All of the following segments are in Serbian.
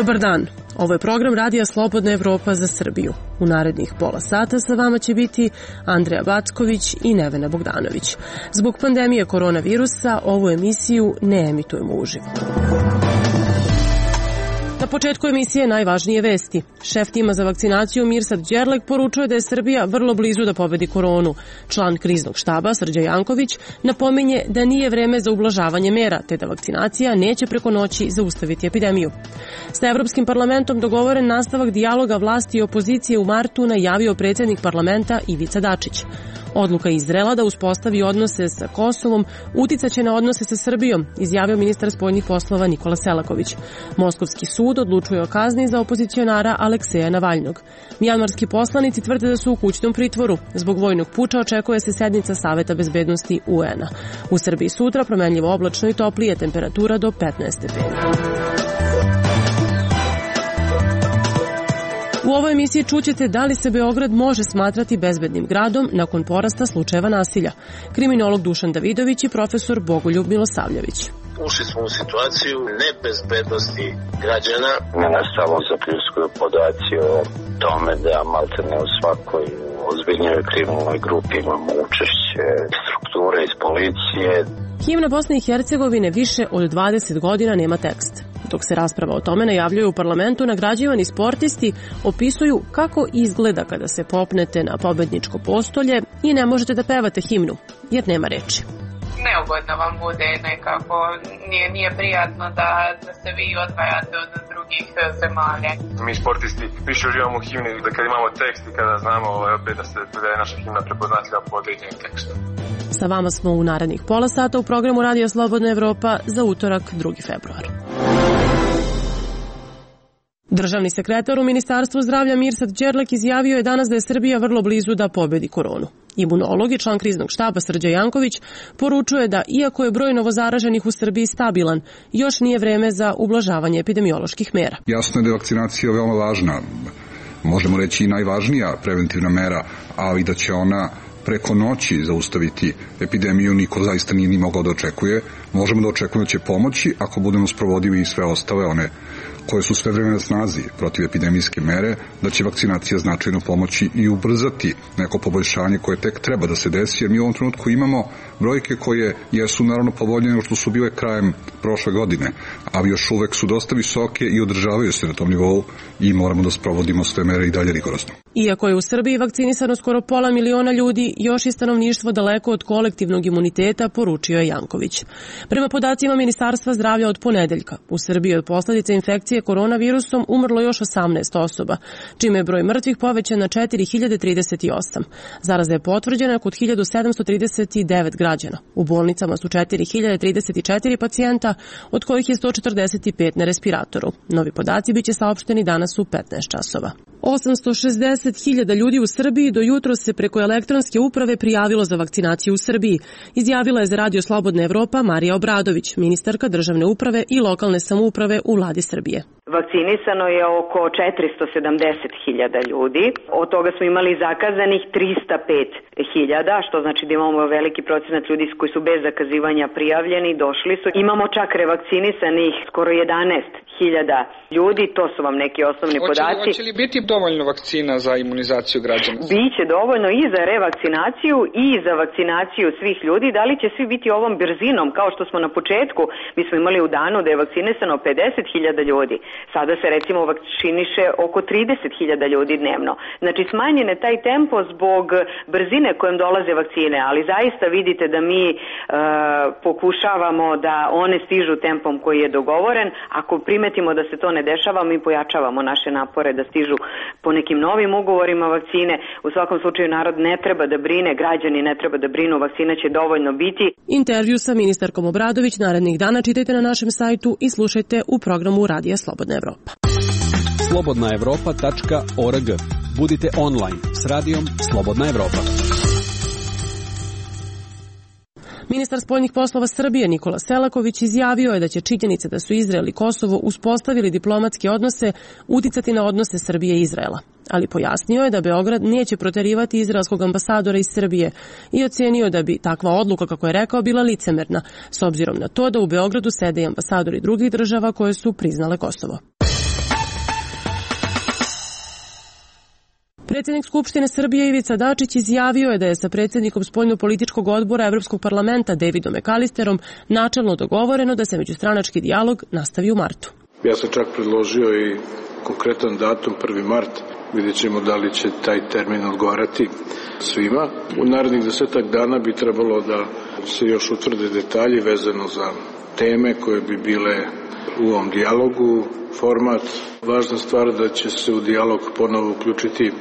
Dobar dan, ovo je program Radija Slobodna Evropa za Srbiju. U narednih pola sata sa vama će biti Andreja Backović i Nevena Bogdanović. Zbog pandemije koronavirusa ovu emisiju ne emitujemo uživo. Na početku emisije najvažnije vesti. Šef tima za vakcinaciju Mirsad Đerlek poručuje da je Srbija vrlo blizu da pobedi koronu. Član kriznog štaba Srđa Janković napominje da nije vreme za ublažavanje mera, te da vakcinacija neće preko noći zaustaviti epidemiju. Sa Evropskim parlamentom dogovoren nastavak dijaloga vlasti i opozicije u martu najavio predsjednik parlamenta Ivica Dačić. Odluka Izraela da uspostavi odnose sa Kosovom uticaće na odnose sa Srbijom, izjavio ministar spoljnih poslova Nikola Selaković. Moskovski sud odlučuje o kazni za opozicionara Alekseja Navalnog. Mjanmarski poslanici tvrde da su u kućnom pritvoru. Zbog vojnog puča očekuje se sednica Saveta bezbednosti UN-a. U Srbiji sutra promenljivo oblačno i toplije, temperatura do 15 stepeni. U ovoj emisiji čućete da li se Beograd može smatrati bezbednim gradom nakon porasta slučajeva nasilja. Kriminolog Dušan Davidović i profesor Bogoljub Milosavljević. Ušli smo u situaciju nebezbednosti građana. Nas samo zapljuskuju podaci o tome da maltene u svakoj ozbiljnijoj kriminalnoj grupi imamo učešće strukture iz policije. Himna Bosne i Hercegovine više od 20 godina nema tekst. Dok se rasprava o tome najavljuje u parlamentu, nagrađivani sportisti opisuju kako izgleda kada se popnete na pobedničko postolje i ne možete da pevate himnu, jer nema reči. Neugodno vam bude nekako, nije prijatno da se vi odvajate od drugih zemalja. Mi sportisti više uživamo u himni da kad imamo tekst i kada znamo opet da je naša himna prepoznatljiva po određenim tekstom. Sa vama smo u narednih pola sata u programu Radija Slobodna Evropa za utorak 2. februar. Državni sekretar u Ministarstvu zdravlja Mirsad Đerlek izjavio je danas da je Srbija vrlo blizu da pobedi koronu. Imunolog i član kriznog štaba Srđa Janković poručuje da, iako je broj novozaraženih u Srbiji stabilan, još nije vreme za ublažavanje epidemioloških mera. Jasno je da je vakcinacija veoma važna, možemo reći i najvažnija preventivna mera, ali da će ona preko noći zaustaviti epidemiju niko zaista nije ni mogao da očekuje. Možemo da očekujemo da će pomoći ako budemo sprovodili i sve ostale one koje su sve vreme na snazi protiv epidemijske mere, da će vakcinacija značajno pomoći i ubrzati neko poboljšanje koje tek treba da se desi, jer mi u ovom trenutku imamo brojke koje jesu naravno povoljnije nego što su bile krajem prošle godine, ali još uvek su dosta visoke i održavaju se na tom nivou i moramo da sprovodimo sve mere i dalje rigorozno. Iako je u Srbiji vakcinisano skoro 500.000 ljudi, još je stanovništvo daleko od kolektivnog imuniteta, poručio je Janković. Prema podacima Ministarstva zdravlja od ponedeljka, u Srbiji od posljedice infekcije koronavirusom umrlo još 18 osoba, čime je broj mrtvih povećan na 4038. Zaraza je potvrđena kod 1739 građana. U bolnicama su 4034 pacijenta, od kojih je 145 na respiratoru. Novi podaci biće saopšteni danas u 15 časova. 860.000 ljudi u Srbiji do jutros se preko elektronske uprave prijavilo za vakcinaciju u Srbiji, izjavila je za Radio Slobodna Evropa Marija Obradović, ministarka državne uprave i lokalne samouprave u vladi Srbije. Vakcinisano je oko 470.000 ljudi, od toga smo imali zakazanih 305.000, što znači da imamo veliki procenat ljudi koji su bez zakazivanja prijavljeni, došli su. Imamo čak revakcinisanih skoro 11.000 ljudi, to su vam neki osnovni podaci. Hoće li biti dovoljno vakcina za imunizaciju građana? Biće dovoljno i za revakcinaciju i za vakcinaciju svih ljudi. Da li će svi biti ovom brzinom, kao što smo na početku, mi smo imali u danu da je vakcinisano 50.000 ljudi. Sada se recimo vakciniše oko 30.000 ljudi dnevno. Znači smanjen je taj tempo zbog brzine kojom dolaze vakcine, ali zaista vidite da mi pokušavamo da one stižu tempom koji je dogovoren. Ako primetimo da se to ne dešava, mi pojačavamo naše napore da stižu po nekim novim ugovorima vakcine. U svakom slučaju narod ne treba da brine, građani ne treba da brinu, vakcina će dovoljno biti. Intervju sa ministarkom Obradović narednih dana čitajte na našem sajtu i slušajte u programu Radija Slobodna Evropa. slobodnaevropa.org. Budite online s radijom Slobodna Evropa. Ministar spoljnih poslova Srbije Nikola Selaković izjavio je da će činjenica da su Izrael i Kosovo uspostavili diplomatske odnose uticati na odnose Srbije i Izraela. Ali pojasnio je da Beograd neće proterivati izraelskog ambasadora iz Srbije i ocenio da bi takva odluka, kako je rekao, bila licemerna, s obzirom na to da u Beogradu sede i ambasadori drugih država koje su priznale Kosovo. Predsjednik Skupštine Srbije Ivica Dačić izjavio je da je sa predsjednikom spoljno-političkog odbora Evropskog parlamenta Davidom McAllisterom načelno dogovoreno da se međustranački dijalog nastavi u martu. Ja sam čak predložio i konkretan datum 1. mart. Vidjet ćemo da li će taj termin odgovarati svima. U narednih 10 dana bi trebalo da se još utvrde detalji vezano za teme koje bi bile u ovom dijalogu, format. Važna stvar da će se u dijalog ponovo uključiti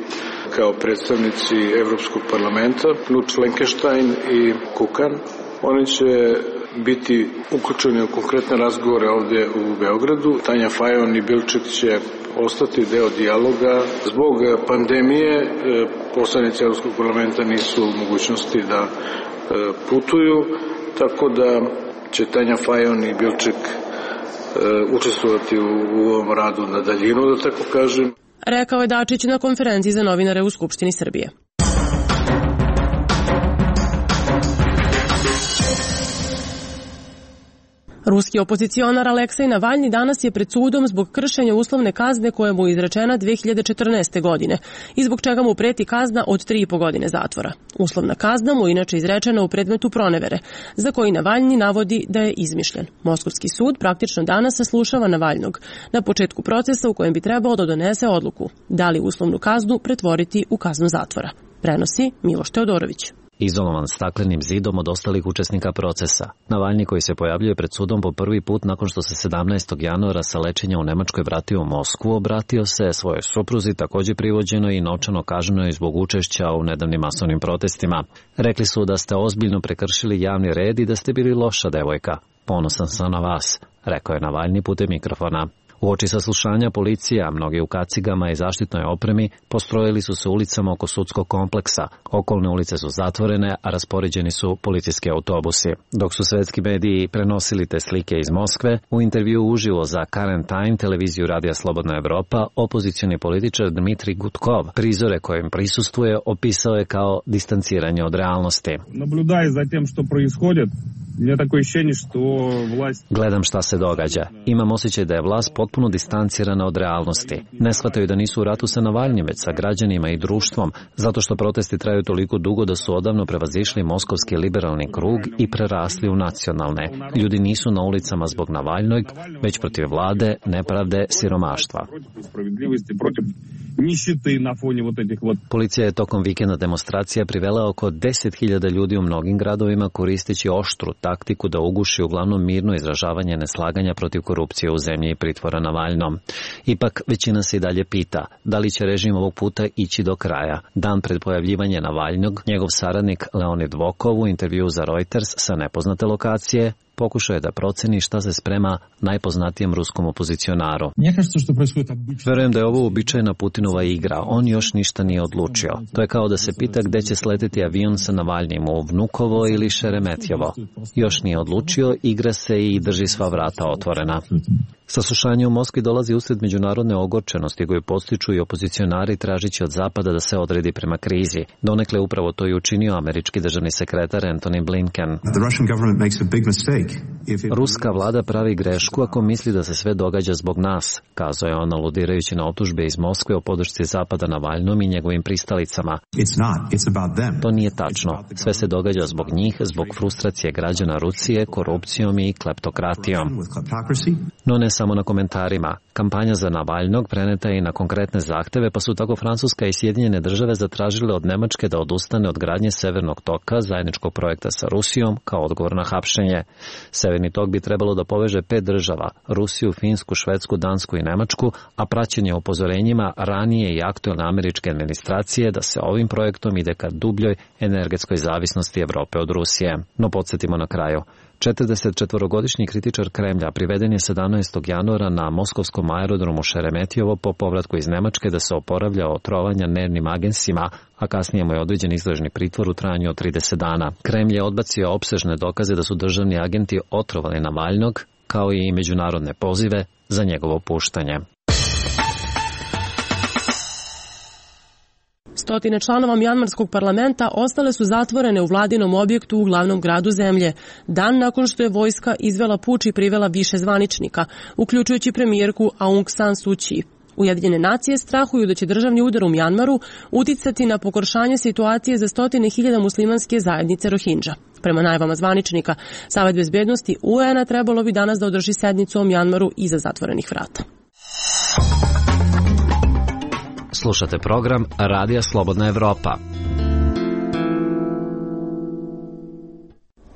kao predstavnici Evropskog parlamenta, Knut Fleckenstein i Kukan. Oni će biti uključeni u konkretne razgovore ovdje u Beogradu. Tanja Fajon i Bilčik će ostati deo dijaloga. Zbog pandemije poslanici Evropskog parlamenta nisu u mogućnosti da putuju, tako da će Tanja Fajon i Bilčik učestvovati u ovom radu na daljinu, da tako kažem. Rekao je Dačić na konferenciji za novinare u Skupštini Srbije. Ruski opozicionar Aleksej Navalni danas je pred sudom zbog kršenja uslovne kazne koja mu je izrečena 2014. godine i zbog čega mu preti kazna od 3,5 godine zatvora. Uslovna kazna mu inače izrečena u predmetu pronevere, za koji Navalni navodi da je izmišljen. Moskovski sud praktično danas saslušava Navalnog na početku procesa u kojem bi trebao da donese odluku da li uslovnu kaznu pretvoriti u kaznu zatvora. Prenosi Miloš Teodorović. Izolovan staklenim zidom od ostalih učesnika procesa. Navalni, koji se pojavljuje pred sudom po prvi put nakon što se 17. januara sa lečenja u Nemačkoj vratio u Moskvu, obratio se svojoj supruzi, također privođeno i novčano kažnjeno zbog učešća u nedavnim masovnim protestima. Rekli su da ste ozbiljno prekršili javni red i da ste bili loša devojka. Ponosan sam na vas, rekao je Navalni putem mikrofona. Uoči saslušanja policija, mnogi u kacigama i zaštitnoj opremi, postrojili su se ulicama oko sudskog kompleksa. Okolne ulice su zatvorene, a raspoređeni su policijski autobusi. Dok su svetski mediji prenosili te slike iz Moskve, u intervju uživo za Current Time, televiziju Radija Slobodna Evropa, opozicioni političar Dmitrij Gudkov prizore kojim prisustvuje opisao je kao distanciranje od realnosti. Gledam šta se događa. Imam osjećaj da je vlast potpuno distancirana od realnosti. Ne shvataju da nisu u ratu sa Navalnim, već sa građanima i društvom, zato što protesti traju toliko dugo da su odavno prevazišli moskovski liberalni krug i prerasli u nacionalne. Ljudi nisu na ulicama zbog Navalnog, već protiv vlade, nepravde, siromaštva. Policija je tokom vikenda demonstracija privela oko 10.000 ljudi u mnogim gradovima koristeći oštru taktiku da uguši uglavnom mirno izražavanje neslaganja protiv korupcije u zemlji i pritvora Navalnom. Ipak većina se i dalje pita da li će režim ovog puta ići do kraja. Dan pred pojavljivanje Navalnog, njegov saradnik Leonid Vokov u intervju za Reuters sa nepoznate lokacije pokušao je da proceni šta se sprema najpoznatijem ruskom opozicionaru. Verujem da je ovo uobičajena Putinova igra, on još ništa nije odlučio. To je kao da se pita gde će sleteti avion sa Navalnim, u Vnukovo ili Šeremetjevo. Još nije odlučio, igra se i drži sva vrata otvorena. Saslušanje u Moskvi dolazi usred međunarodne ogorčenosti koju postiču i opozicionari tražići od Zapada da se odredi prema krizi. Donekle upravo to i učinio američki državni sekretar Antony Blinken. Ruska vlada pravi grešku ako misli da se sve događa zbog nas, kazao je on aludirajući na optužbe iz Moskve o podršci Zapada Navalnom i njegovim pristalicama. To nije tačno. Sve se događa zbog njih, zbog frustracije građana Rusije, korupcijom i kleptokratijom. No ne samo na komentarima. Kampanja za Navalnog preneta je i na konkretne zahteve, pa su tako Francuska i Sjedinjene države zatražile od Nemačke da odustane od gradnje Severnog toka, zajedničkog projekta sa Rusijom, kao odgovor na hapšenje. Severni tok bi trebalo da poveže 5 država, Rusiju, Finsku, Švedsku, Dansku i Nemačku, a praćenje upozorenjima ranije i aktuelne američke administracije da se ovim projektom ide ka dubljoj energetskoj zavisnosti Evrope od Rusije. No podsjetimo na kraju. 44-godišnji kritičar Kremlja priveden je 17. januara na moskovskom aerodromu Šeremetjevo po povratku iz Nemačke da se oporavlja od trovanja nervnim agensima, a kasnije mu je određen istražni pritvor u trajanju od 30 dana. Kremlj je odbacio opsežne dokaze da su državni agenti otrovali Navalnog, kao i međunarodne pozive za njegovo puštanje. Stotine članova Mjanmarskog parlamenta ostale su zatvorene u vladinom objektu u glavnom gradu zemlje, dan nakon što je vojska izvela puč i privela više zvaničnika, uključujući premijerku Aung San Suu Kyi. Ujedinjene nacije strahuju da će državni udar u Mjanmaru uticati na pogoršanje situacije za 100.000 muslimanske zajednice Rohingya. Prema najavama zvaničnika, Savet bezbednosti UN-a trebalo bi danas da održi sednicu o Mjanmaru iza zatvorenih vrata. Slušate program Radija Slobodna Evropa.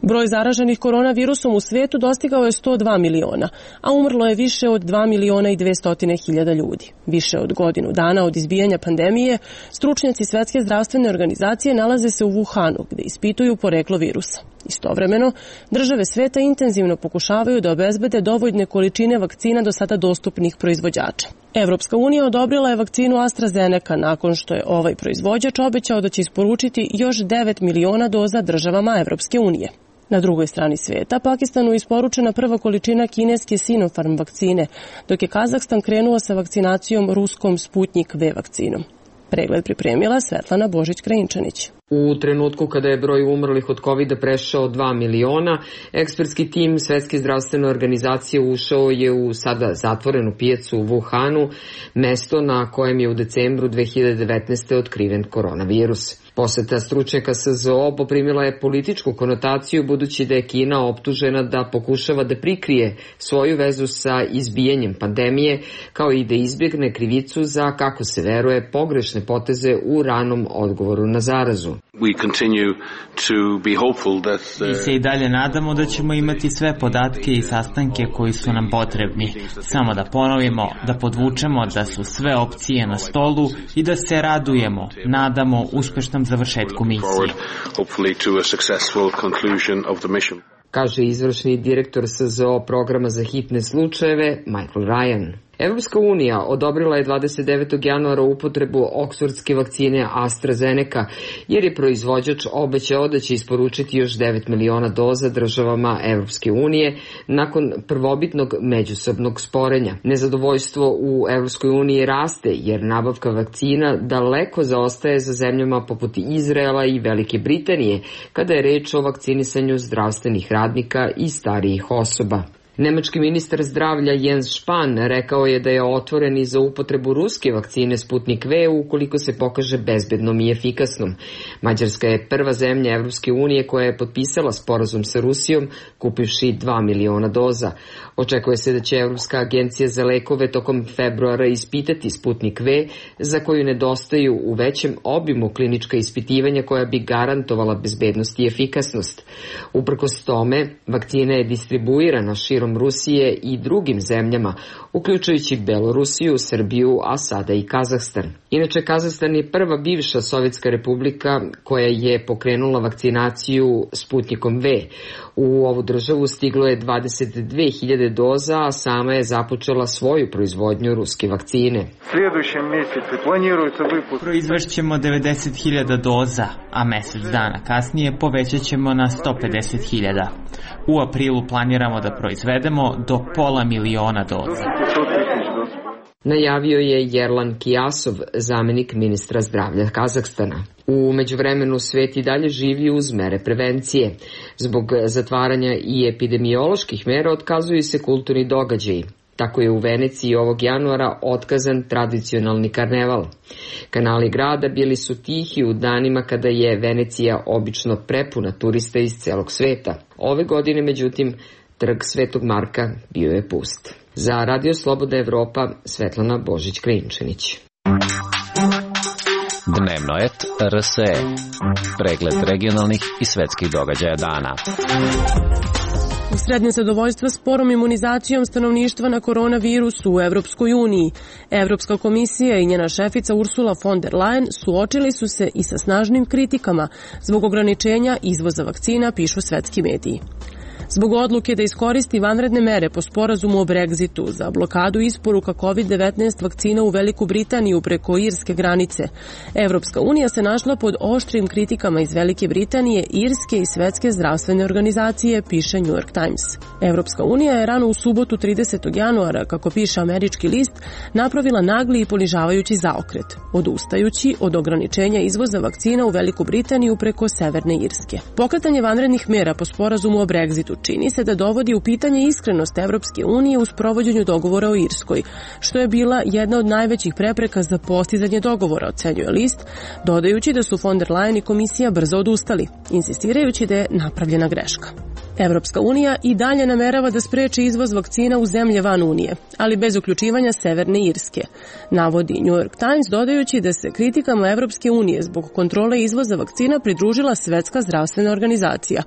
Broj zaraženih koronavirusom u svijetu dostigao je 102 miliona, a umrlo je više od 2.200.000 ljudi. Više od godinu dana od izbijanja pandemije, stručnjaci Svetske zdravstvene organizacije nalaze se u Wuhanu, gde ispituju poreklo virusa. Istovremeno, države sveta intenzivno pokušavaju da obezbede dovoljne količine vakcina do sada dostupnih proizvođača. Evropska unija odobrila je vakcinu AstraZeneca nakon što je ovaj proizvođač obećao da će isporučiti još 9 miliona doza državama Evropske unije. Na drugoj strani sveta, Pakistanu je isporučena prva količina kineske Sinopharm vakcine, dok je Kazahstan krenuo sa vakcinacijom ruskom Sputnik V vakcinom. Pregled pripremila Svetlana Božić-Krajinčanić. U trenutku kada je broj umrlih od COVID-a prešao 2 miliona, ekspertski tim Svetske zdravstvene organizacije ušao je u sada zatvorenu pijacu u Wuhanu, mesto na kojem je u decembru 2019. otkriven koronavirus. Poseta stručnjaka SZO poprimila je političku konotaciju budući da je Kina optužena da pokušava da prikrije svoju vezu sa izbijanjem pandemije, kao i da izbjegne krivicu za, kako se veruje, pogrešne poteze u ranom odgovoru na zarazu. Mi se i dalje nadamo da ćemo imati sve podatke i sastanke koji su nam potrebni. Samo da ponovimo, da podvučemo da su sve opcije na stolu i da se radujemo, nadamo uspešnom završetku misije. Kaže izvršni direktor SZO programa za hitne slučajeve Michael Ryan. Evropska unija odobrila je 29. januara upotrebu oksfordske vakcine AstraZeneca, jer je proizvođač obećao da će isporučiti još 9 miliona doza državama Evropske unije nakon prvobitnog međusobnog sporenja. Nezadovoljstvo u Evropskoj uniji raste, jer nabavka vakcina daleko zaostaje za zemljama poput Izraela i Velike Britanije, kada je reč o vakcinisanju zdravstvenih radnika i starijih osoba. Nemački ministar zdravlja Jens Spahn rekao je da je otvoren i za upotrebu ruske vakcine Sputnik V ukoliko se pokaže bezbednom i efikasnom. Mađarska je prva zemlja Evropske unije koja je potpisala sporazum sa Rusijom, kupivši 2 miliona doza. Očekuje se da će Evropska agencija za lekove tokom februara ispitati Sputnik V, za koju nedostaju u većem obimu klinička ispitivanja koja bi garantovala bezbednost i efikasnost. Uprkos tome, vakcina je distribuirana širom Rusije i drugim zemljama, uključujući Belorusiju, Srbiju, a sada i Kazahstan. Inače, Kazahstan je prva bivša Sovjetska republika koja je pokrenula vakcinaciju Sputnikom V. U ovu državu stiglo je 22.000 doza, a sama je započela svoju proizvodnju ruske vakcine. Proizvešćemo 90.000 doza, a mesec dana kasnije povećat ćemo na 150.000. U aprilu planiramo da proizvedemo do 500.000 doza. Najavio je Yerlan Kijasov, zamenik ministra zdravlja Kazahstana. U međuvremenu svet i dalje živi uz mere prevencije. Zbog zatvaranja i epidemioloških mera otkazuju se kulturni događaji. Tako je u Veneciji ovog januara otkazan tradicionalni karneval. Kanali grada bili su tihi u danima kada je Venecija obično prepuna turista iz celog sveta. Ove godine, međutim, trg Svetog Marka bio je pust. Za Radio Slobodna Evropa, Svetlana Božić-Krajinčanić. Dnevno et RSE. Pregled regionalnih i svetskih događaja dana. Usred nezadovoljstva sporom imunizacijom stanovništva na koronavirus u Evropskoj uniji, Evropska komisija i njena šefica Ursula von der Leyen suočili su se i sa snažnim kritikama zbog ograničenja izvoza vakcina, pišu svetski mediji. Zbog odluke da iskoristi vanredne mere po sporazumu o Brexitu za blokadu isporuka COVID-19 vakcina u Veliku Britaniju preko irske granice, Evropska unija se našla pod oštrim kritikama iz Velike Britanije, Irske i Svetske zdravstvene organizacije, piše New York Times. Evropska unija je rano u subotu 30. januara, kako piše američki list, napravila nagli i ponižavajući zaokret, odustajući od ograničenja izvoza vakcina u Veliku Britaniju preko Severne Irske. Pokretanje vanrednih mera po sporazumu o Brexitu čini se da dovodi u pitanje iskrenost Evropske unije u sprovođenju dogovora o Irskoj, što je bila jedna od najvećih prepreka za postizanje dogovora, ocenjuje list, dodajući da su von der Leyen i komisija brzo odustali, insistirajući da je napravljena greška. Evropska unija i dalje namerava da spreči izvoz vakcina u zemlje van Unije, ali bez uključivanja Severne Irske, navodi New York Times, dodajući da se kritikama Evropske unije zbog kontrole izvoza vakcina pridružila Svetska zdravstvena organizacija,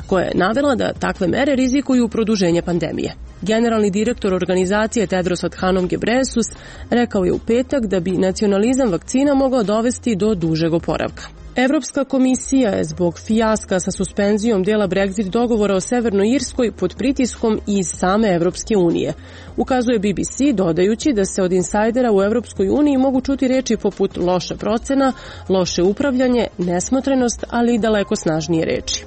koja je navela da takve mere rizikuju produženje pandemije. Generalni direktor organizacije Tedros Adhanom Ghebreyesus rekao je u petak da bi nacionalizam vakcina mogao dovesti do dužeg oporavka. Evropska komisija je zbog fijaska sa suspenzijom dela Brexit dogovora o Severnoj Irskoj pod pritiskom iz same Evropske unije, ukazuje BBC, dodajući da se od insajdera u Evropskoj uniji mogu čuti reči poput loša procena, loše upravljanje, nesmotrenost, ali i daleko snažnije reči.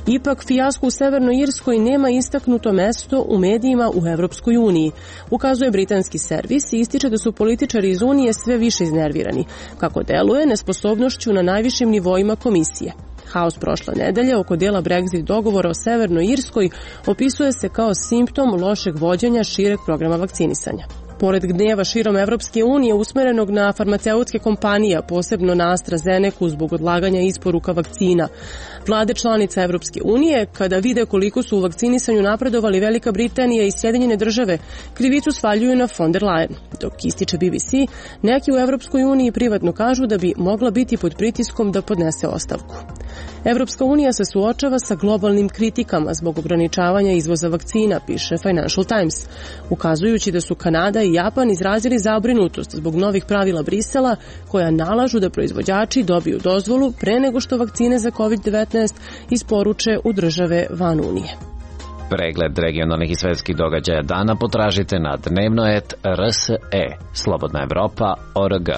Ipak, fijasko u Severnoj Irskoj nema istaknuto mesto u medijima u Evropskoj uniji, ukazuje britanski servis i ističe da su političari iz Unije sve više iznervirani, kako deluje nesposobnošću na najvišim nivoima komisije. Haos prošle nedelje oko dela Brexit dogovora o Severnoj Irskoj opisuje se kao simptom lošeg vođenja šireg programa vakcinisanja. Pored gneva širom Evropske unije usmerenog na farmaceutske kompanije, posebno na AstraZenecu zbog odlaganja isporuka vakcina, vlade članica Evropske unije, kada vide koliko su u vakcinisanju napredovali Velika Britanija i Sjedinjene države, krivicu svaljuju na von der Leyen. Dok ističe BBC, neki u Evropskoj uniji privatno kažu da bi mogla biti pod pritiskom da podnese ostavku. Evropska unija se suočava sa globalnim kritikama zbog ograničavanja izvoza vakcina, piše Financial Times, ukazujući da su Kanada i Japan izrazili zabrinutost zbog novih pravila Brisela koja nalažu da proizvođači dobiju dozvolu pre nego što vakcine za COVID-19 isporuče u države van Unije. Pregled regionalnih i svetskih događaja dana potražite na dnevnoet.rse, slobodnaevropa.org.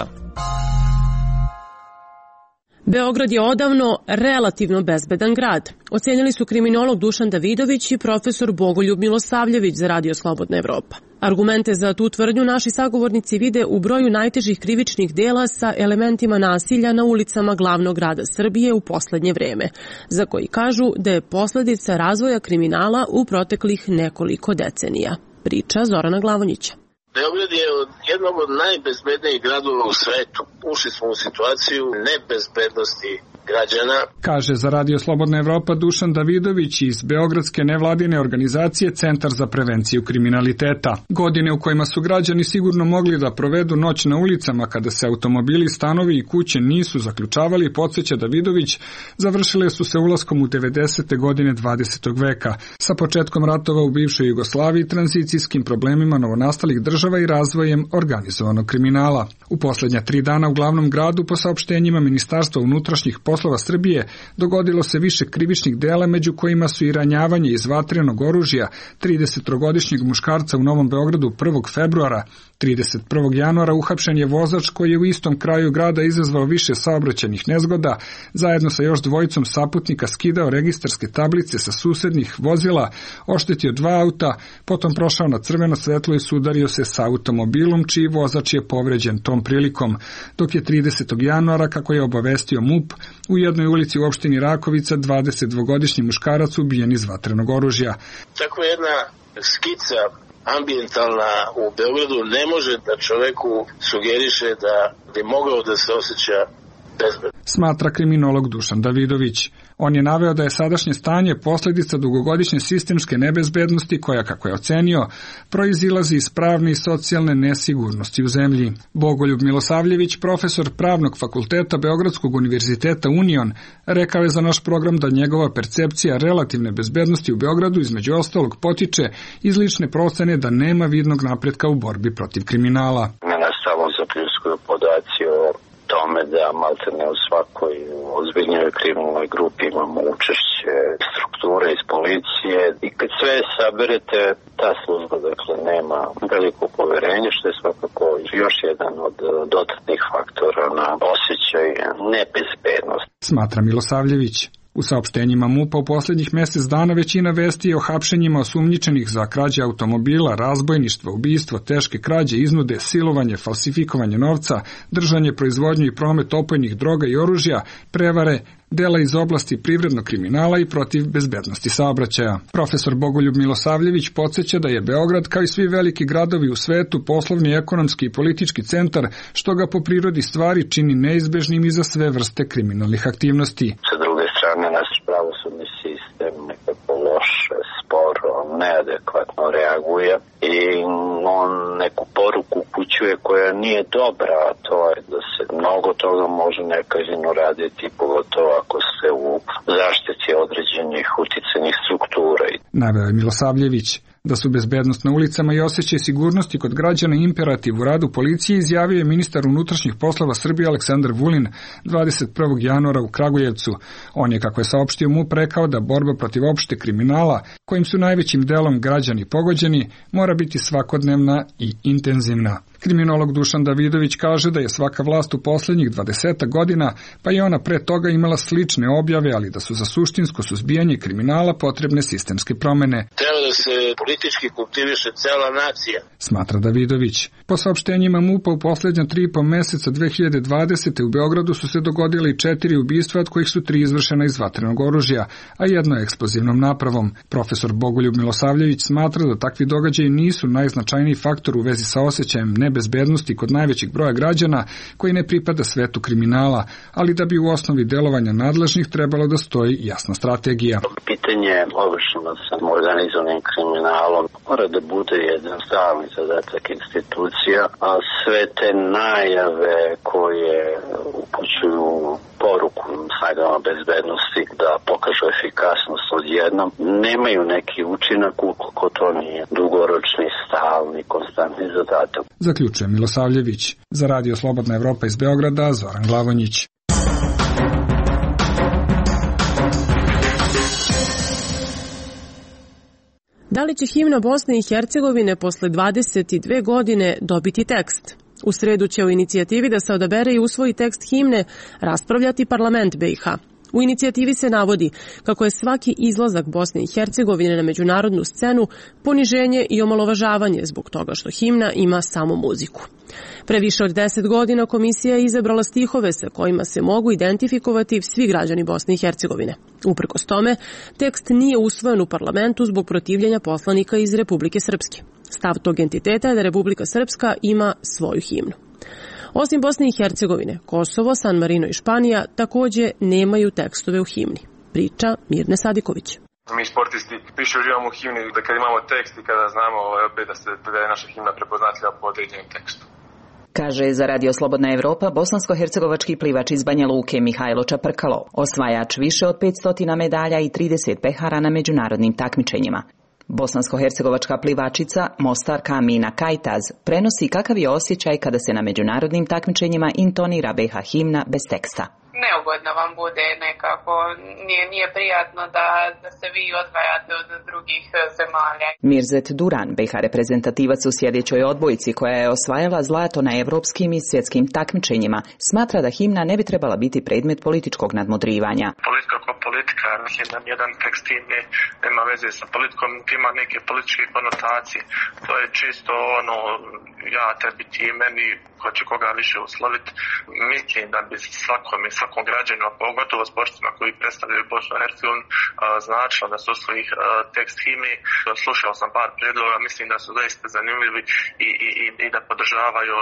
Beograd je odavno relativno bezbedan grad, ocenili su kriminolog Dušan Davidović i profesor Bogoljub Milosavljević za Radio Slobodna Evropa. Argumente za tu tvrdnju naši sagovornici vide u broju najtežih krivičnih dela sa elementima nasilja na ulicama glavnog grada Srbije u poslednje vreme, za koji kažu da je posledica razvoja kriminala u proteklih nekoliko decenija. Priča Zorana Glavonjića. Beograd je jednog od najbezbednijih gradova u svetu. Ušli smo u situaciju nebezbednosti građana. Kaže za Radio Slobodna Evropa Dušan Davidović iz beogradske nevladine organizacije Centar za prevenciju kriminaliteta. Godine u kojima su građani sigurno mogli da provedu noć na ulicama kada se automobili, stanovi i kuće nisu zaključavali, podsjeća Davidović, završile su se ulaskom u 90. godine 20. veka, sa početkom ratova u bivšoj Jugoslaviji, tranzicijskim problemima novonastalih država i razvojem organizovanog kriminala. U poslednja 3 dana u glavnom gradu, po saopštenjima Ministarstva unutrašnjih poslova Srbije, dogodilo se više krivičnih dela, među kojima su i ranjavanje iz vatrenog oružja 33-godišnjeg muškarca u Novom Beogradu 1. februara. 31. januara uhapšen je vozač koji je u istom kraju grada izazvao više saobraćajnih nezgoda, zajedno sa još dvojicom saputnika skidao registarske tablice sa susednih vozila, oštetio 2 auta, potom prošao na crveno svetlo i sudario se sa automobilom, čiji vozač je povređen tom prilikom, dok je 30. januara, kako je obavestio MUP, u jednoj ulici u opštini Rakovica 22-godišnji muškarac ubijen iz vatrenog oružja. Tako jedna skica ambijentalna u Beogradu ne može da čoveku sugeriše da bi mogao da se osjeća bezbedno, smatra kriminolog Dušan Davidović. On je naveo da je sadašnje stanje posledica dugogodišnje sistemske nebezbednosti koja, kako je ocenio, proizilazi iz pravne i socijalne nesigurnosti u zemlji. Bogoljub Milosavljević, profesor Pravnog fakulteta Beogradskog univerziteta Union, rekao je za naš program da njegova percepcija relativne bezbednosti u Beogradu između ostalog potiče iz lične procene da nema vidnog napretka u borbi protiv kriminala. Mene samo zaključuju podaci o tome da maltene u svakoj ozbiljnijoj kriminalnoj grupi imamo učešće strukture iz policije i kad sve saberete, ta služba dakle nema veliko poverenje, što je svakako još jedan od dodatnih faktora na osjećaj nebezbednosti. Smatra Milosavljević. U saopštenjima MUP-a u posljednjih mjesec dana većina vesti je o hapšenjima osumnjičenih za krađe automobila, razbojništvo, ubistvo, teške krađe, iznude, silovanje, falsifikovanje novca, držanje, proizvodnju i promet opojnih droga i oružja, prevare, dela iz oblasti privrednog kriminala i protiv bezbednosti saobraćaja. Profesor Bogoljub Milosavljević podsjeća da je Beograd, kao i svi veliki gradovi u svetu, poslovni, ekonomski i politički centar, što ga po prirodi stvari čini neizbežnim i za sve vrste kriminalnih aktivnosti. Sa druge strane, naš pravosudni sistem nekako loše, sporo, neadekvatno reaguje i on neku poruku upućuje koja nije dobra, a to je da se mnogo toga može nekažnjeno raditi, pogotovo ako se u zaštiti određenih uticajnih struktura. Naveo je Milosavljević. Da su bezbednost na ulicama i osjećaj sigurnosti kod građana imperativ u radu policije, izjavio je ministar unutrašnjih poslova Srbije Aleksandar Vulin 21. januara u Kragujevcu. On je, kako je saopštio MUP, rekao da borba protiv opšte kriminala, kojim su najvećim delom građani pogođeni, mora biti svakodnevna i intenzivna. Kriminolog Dušan Davidović kaže da je svaka vlast u posljednjih 20 godina, pa i ona pre toga, imala slične objave, ali da su za suštinsko suzbijanje kriminala potrebne sistemske promene. Treba da se politički kultiviše cela nacija, smatra Davidović. Po saopštenjima MUP-a u posljednja 3,5 meseca 2020. u Beogradu su se dogodile i 4 ubistva, od kojih su 3 izvršena iz vatrenog oružja, a jedno eksplozivnom napravom. Profesor Bogoljub Milosavljević smatra da takvi događaji nisu najznačajniji faktor u vezi sa osjećajem nebezbednosti kod najvećeg broja građana koji ne pripada svetu kriminala, ali da bi u osnovi delovanja nadležnih trebalo da stoji jasna strategija. Pitanje obično sa organizovanim kriminalom mora da bude jedan stalni zadatak institucija, a sve te najave koje upućuju poruku snagama bezbednosti da pokažu efikasnost odjednom, nemaju neki učinak ukoliko to nije dugoročni, stalni, konstantni zadatak. Zaključuje Milosavljević. Za Radio Slobodna Evropa iz Beograda, Zoran Glavonjić. Da li će himna Bosne i Hercegovine posle 22 godine dobiti tekst? U sredu će o inicijativi da se odabere i usvoji tekst himne raspravljati parlament BiH. U inicijativi se navodi kako je svaki izlazak Bosne i Hercegovine na međunarodnu scenu poniženje i omalovažavanje zbog toga što himna ima samo muziku. Pre više od 10 godina komisija je izabrala stihove sa kojima se mogu identifikovati svi građani Bosne i Hercegovine. Uprkos tome, tekst nije usvojen u parlamentu zbog protivljenja poslanika iz Republike Srpske. Stav tog entiteta je da Republika Srpska ima svoju himnu. Osim Bosne i Hercegovine, Kosovo, San Marino i Španija također nemaju tekstove u himni. Priča Mirne Sadiković. Mi sportisti više uživamo u himni da kad imamo tekst i kada znamo da je naša himna prepoznatljiva po određenom tekstu. Kaže za Radio Slobodna Evropa bosansko-hercegovački plivač iz Banja Luke Mihajlo Čaprkalo, osvajač više od 500 medalja i 30 pehara na međunarodnim takmičenjima. Bosansko-hercegovačka plivačica Mostarka Amina Kajtaz prenosi kakav je osjećaj kada se na međunarodnim takmičenjima intonira BiH himna bez teksta. Neugodno vam bude nekako, nije prijatno da se vi odvajate od drugih zemalja. Mirzet Duran, BiH reprezentativac u sjedećoj odbojci koja je osvajala zlato na evropskim i svjetskim takmičenjima, smatra da himna ne bi trebala biti predmet političkog nadmudrivanja. Politika kao politika, himna, jedan tekst himne nema veze sa politikom, ima neke političke konotacije. To je čisto ja tebi ti meni, ko će koga više usloviti. Mislim da bi svakom građanu, pogotovo sportstvima koji predstavljaju Bosnu i Hercegovinu, značilo da se usvoji tekst himne. Slušao sam par predloga, mislim da su zaista zanimljivi i da podržavaju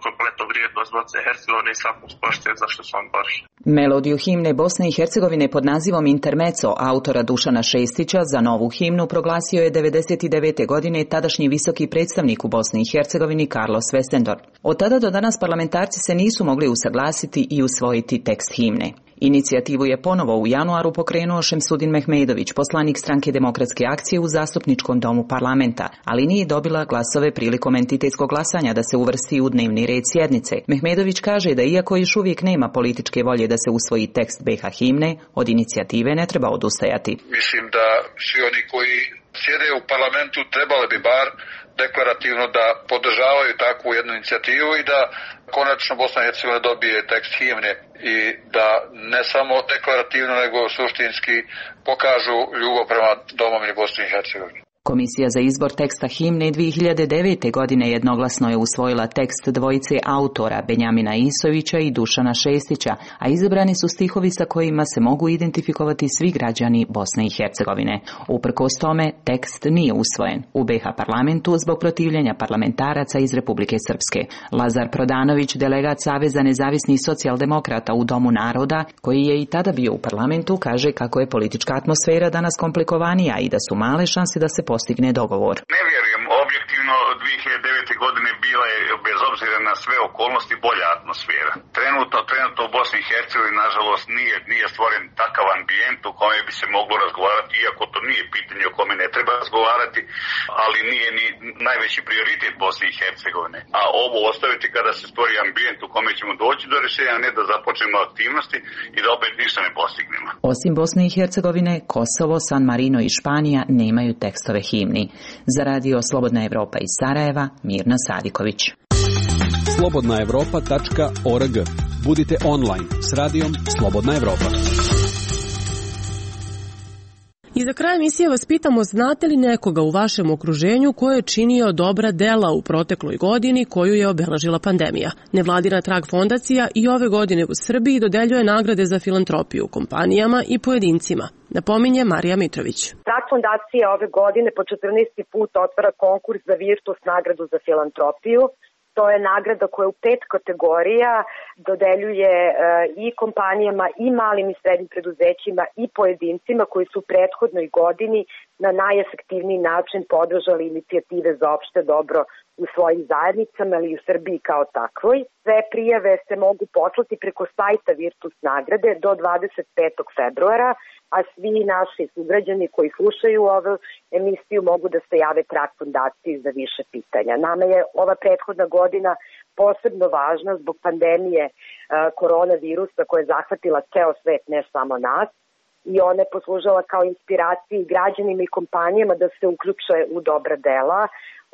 kompletnu vrijednost Bosne i Hercegovine i svakog sporta za što su on bori. Melodiju himne Bosne i Hercegovine pod nazivom Intermezzo autora Dušana Šestića za novu himnu proglasio je 1999. godine tadašnji visoki predstavnik u Bosni i Hercegovini Carlos Westendorp. Od tada do danas parlamentarci se nisu mogli usaglasiti i usvojiti tekst himne. Inicijativu je ponovo u januaru pokrenuo Šemsudin Mehmedović, poslanik Stranke demokratske akcije u zastupničkom domu parlamenta, ali nije dobila glasove prilikom entitetskog glasanja da se uvrsti u dnevni red sjednice. Mehmedović kaže da iako još uvijek nema političke volje da se usvoji tekst BiH himne, od inicijative ne treba odustajati. Mislim da svi oni koji sjede u parlamentu, trebale bi bar deklarativno da podržavaju takvu jednu inicijativu i da konačno Bosna i Hercegovina dobije tekst himne i da ne samo deklarativno nego suštinski pokažu ljubav prema domovini Bosne i Hercegovine. Komisija za izbor teksta himne 2009. godine jednoglasno je usvojila tekst dvojice autora Benjamina Isovića i Dušana Šestića, a izabrani su stihovi sa kojima se mogu identifikovati svi građani Bosne i Hercegovine. Uprkos tome, tekst nije usvojen u BiH parlamentu zbog protivljenja parlamentaraca iz Republike Srpske. Lazar Prodanović, delegat Saveza nezavisnih socijaldemokrata u Domu naroda, koji je i tada bio u parlamentu, kaže kako je politička atmosfera danas komplikovanija i da su male šanse da se postigne dogovor. Ne vjerujem, objektivno 2009. godine bila je, bez obzira na sve okolnosti, bolja atmosfera. Trenutno u Bosni i Hercegovini, nažalost, nije stvoren takav ambijent u kome bi se moglo razgovarati, iako to nije pitanje o kome ne treba razgovarati, ali nije ni najveći prioritet Bosne i Hercegovine. A ovo ostaviti kada se stvori ambijent u kome ćemo doći do rješenja, ne da započnemo aktivnosti i da opet ništa ne postignemo. Osim Bosne i Hercegovine, Kosovo, San Marino i Španija nemaju tekstove himni. Za radio Slobodna Evropa iz Sarajeva, Mirna Sadiković. slobodnaevropa.org. Budite online s radijom Slobodna Evropa. I za kraj emisije vas pitamo, znate li nekoga u vašem okruženju ko je činio dobra dela u protekloj godini koju je obeležila pandemija? Nevladina Trag fondacija i ove godine u Srbiji dodeljuje nagrade za filantropiju kompanijama i pojedincima. Napominje Marija Mitrović. Trag fondacija ove godine po 14. put otvara konkurs za Virtus nagradu za filantropiju. To je nagrada koja u 5 kategorija dodeljuje i kompanijama i malim i srednjim preduzećima i pojedincima koji su u prethodnoj godini na najefektivniji način podržali inicijative za opšte dobro u svojim zajednicama ili u Srbiji kao takvoj. Sve prijave se mogu poslati preko sajta Virtus nagrade do 25. februara, a svi naši sugrađani koji slušaju ovu emisiju mogu da se jave Trag fondaciji za više pitanja. Nama je ova prethodna godina posebno važna zbog pandemije koronavirusa koja je zahvatila ceo svet, ne samo nas, i ona je poslužila kao inspiraciji građanima i kompanijama da se uključe u dobra dela.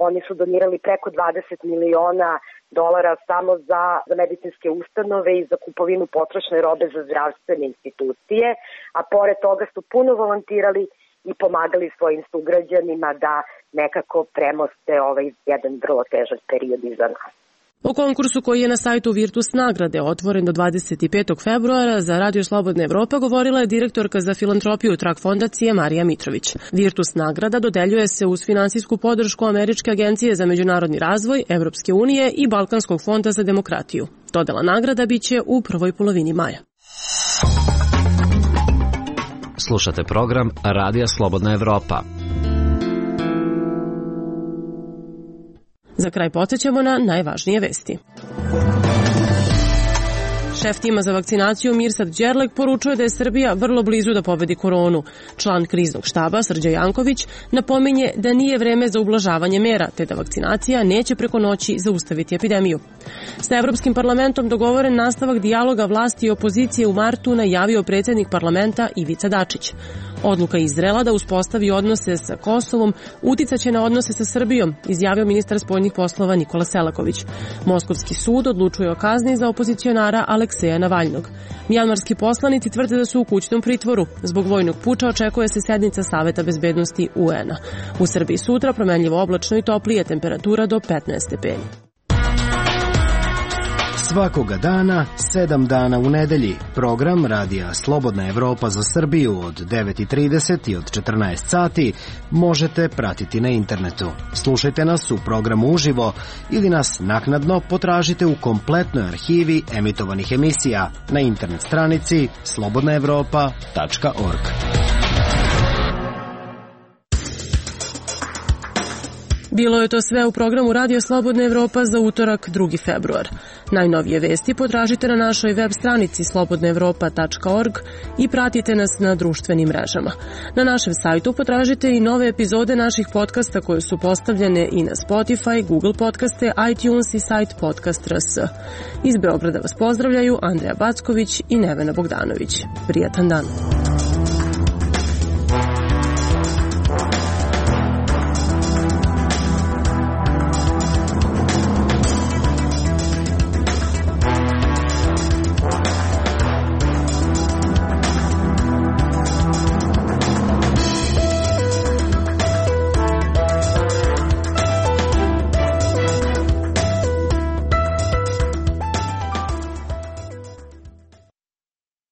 Oni su donirali preko 20 miliona dolara samo za medicinske ustanove i za kupovinu potrošne robe za zdravstvene institucije, a pored toga su puno volontirali i pomagali svojim sugrađanima da nekako premoste ovaj jedan vrlo težak period iza nas. O konkursu koji je na sajtu Virtus nagrade otvoren do 25. februara za Radio Slobodna Evropa govorila je direktorka za filantropiju Trag fondacije Marija Mitrović. Virtus nagrada dodeljuje se uz finansijsku podršku Američke agencije za međunarodni razvoj, Evropske unije i Balkanskog fonda za demokratiju. Dodela nagrada biće u prvoj polovini maja. Slušate program Radija Slobodna Evropa. Za kraj podsjećamo na najvažnije vesti. Šef tima za vakcinaciju Mirsad Đerlek poručuje da je Srbija vrlo blizu da pobedi koronu. Član kriznog štaba Srđan Janković napominje da nije vreme za ublažavanje mera, te da vakcinacija neće preko noći zaustaviti epidemiju. Sa Evropskim parlamentom dogovoren nastavak dijaloga vlasti i opozicije u martu najavio predsjednik parlamenta Ivica Dačić. Odluka Izraela da uspostavi odnose sa Kosovom uticaće na odnose sa Srbijom, izjavio ministar spoljnih poslova Nikola Selaković. Moskovski sud odlučuje o kazni za opozicionara Alekseja Navalnog. Mjanmarski poslanici tvrde da su u kućnom pritvoru. Zbog vojnog puča očekuje se sednica Saveta bezbednosti UN-a. U Srbiji sutra promenljivo oblačno i toplije, temperatura do 15 stepeni. Svakoga dana, 7 dana u nedelji. Program Radija Slobodna Evropa za Srbiju od 9:30 i od 14 sati možete pratiti na internetu. Slušajte nas u programu uživo ili nas naknadno potražite u kompletnoj arhivi emitovanih emisija na internet stranici slobodnaevropa.org. Bilo je to sve u programu Radio Slobodna Evropa za utorak 2. februar. Najnovije vesti potražite na našoj web stranici slobodnaevropa.org i pratite nas na društvenim mrežama. Na našem sajtu potražite i nove epizode naših podcasta koje su postavljene i na Spotify, Google podcaste, iTunes i sajt Podcast.rs. Iz Beograda vas pozdravljaju Andreja Backović i Nevena Bogdanović. Prijatan dan.